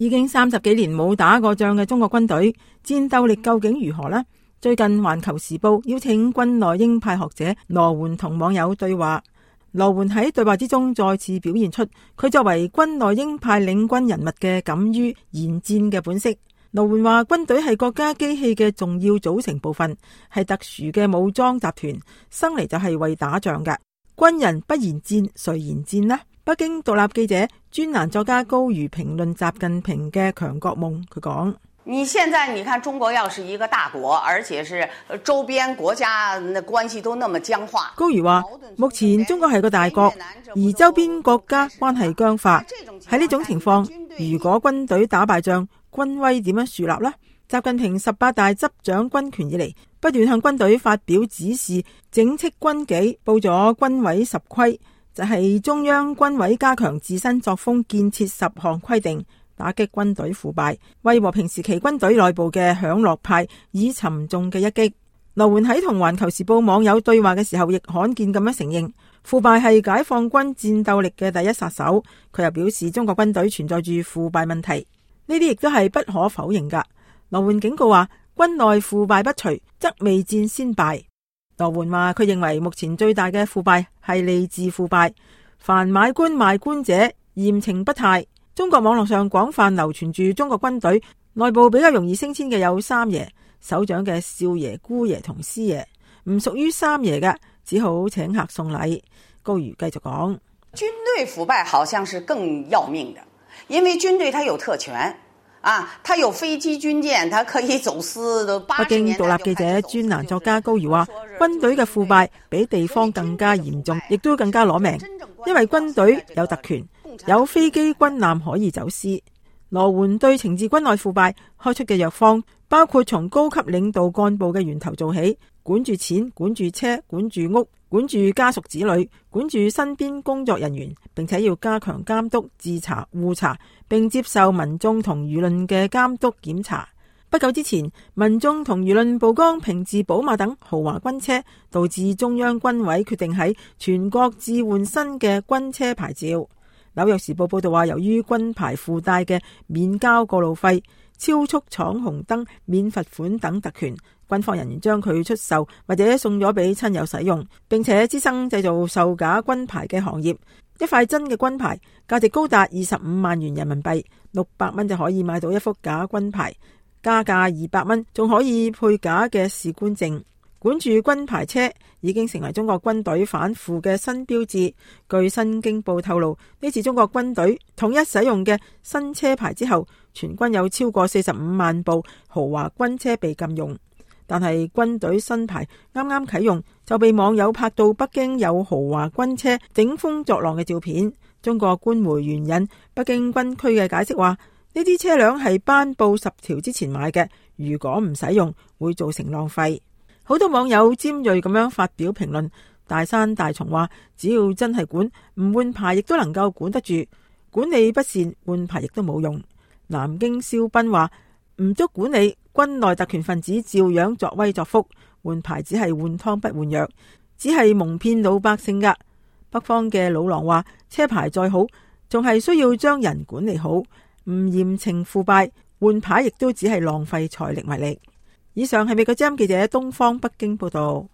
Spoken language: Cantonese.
已經30幾年冇打過仗嘅中國軍隊，戰鬥力究竟如何呢？最近《環球時報》邀請軍內鷹派學者羅援同網友對話，羅援喺對話之中再次表現出佢作為軍內鷹派領軍人物嘅敢於言戰嘅本色。羅援話，軍隊係國家機器嘅重要組成部分，係特殊嘅武裝集團，生嚟就係為打仗嘅。軍人不言戰，誰言戰呢？北京獨立記者、專欄作家高瑜評論習近平嘅強國夢，佢講：你現在你看中國要是一個大國，而且是周邊國家的關係都那麼僵化。高瑜話，目前中國係個大國，而周邊國家關係僵化。喺呢種情況，如果軍隊打敗仗，軍威點樣樹立呢？習近平18大執掌軍權以嚟，不斷向軍隊發表指示，整飭軍紀，報咗軍委10規，就係中央軍委加強自身作風建設10項規定，打擊軍隊腐敗，為和平時期軍隊內部嘅享樂派以沉重嘅一擊。羅援喺同環球時報網友對話嘅時候，亦罕見咁樣承認腐敗係解放軍戰鬥力嘅第一殺手。佢又表示中國軍隊存在住腐敗問題，呢啲亦都係不可否認噶。羅援警告話，軍內腐敗不除，則未戰先敗。羅援話，佢認為目前最大嘅腐敗係吏治腐敗，凡買官賣官者嚴懲不貸。中國網絡上廣泛流傳住中國軍隊內部比較容易升遷嘅有三爺，首長嘅少爺、姑爺同師爺，唔屬於三爺嘅，只好請客送禮。高瑜繼續講，軍隊腐敗好像是更要命的，因為軍隊它有特權啊，它有飛機軍艦，它可以走私的。北京獨立記者專欄作家高瑜話，軍隊嘅腐敗比地方更加嚴重，亦都更加攞命，因為軍隊有特權，有飛機軍艦可以走私。羅援對懲治軍內腐敗開出嘅藥方，包括從高級領導幹部嘅源頭做起，管住錢、管住車、管住屋、管住家屬子女、管住身邊工作人員，並且要加強監督、自查、互查，並接受民眾同輿論嘅監督檢查。不久之前，民眾同輿論曝光平治寶馬等豪華軍車，導致中央軍委決定喺全國置換新嘅軍車牌照。紐約時報報道話，由於軍牌附帶嘅免交過路費、超速闖紅燈、免罰款等特權，軍方人員將佢出售或者送咗俾親友使用，並且滋生製造售假軍牌嘅行業。一塊真嘅軍牌價值高達25萬元人民幣，600蚊就可以買到一幅假軍牌，加價200蚊仲可以配假嘅士官證。管住軍牌車已經成為中國軍隊反腐嘅新標誌。據新京報透露，呢次中國軍隊統一使用嘅新車牌之後，全軍有超過45萬部豪華軍車被禁用。但係軍隊新牌啱啱啟用，就被網友拍到北京有豪華軍車頂風作浪嘅照片。中國官媒援引北京軍區嘅解釋話，呢啲車輛係頒布10條之前買嘅，如果唔使用會造成浪費。好多網友尖銳咁樣發表評論，大山大松話，只要真係管，唔換牌亦都能夠管得住，管理不善換牌亦都冇用。南京肖斌話，唔足管理，軍內特權分子照樣作威作福，換牌只係換湯不換藥，只係蒙騙老百姓噶。北方嘅老狼話，車牌再好，仲係需要將人管理好，唔嚴懲腐敗，換牌亦都只係浪費財力物力。以上係美國之音記者東方北京報道。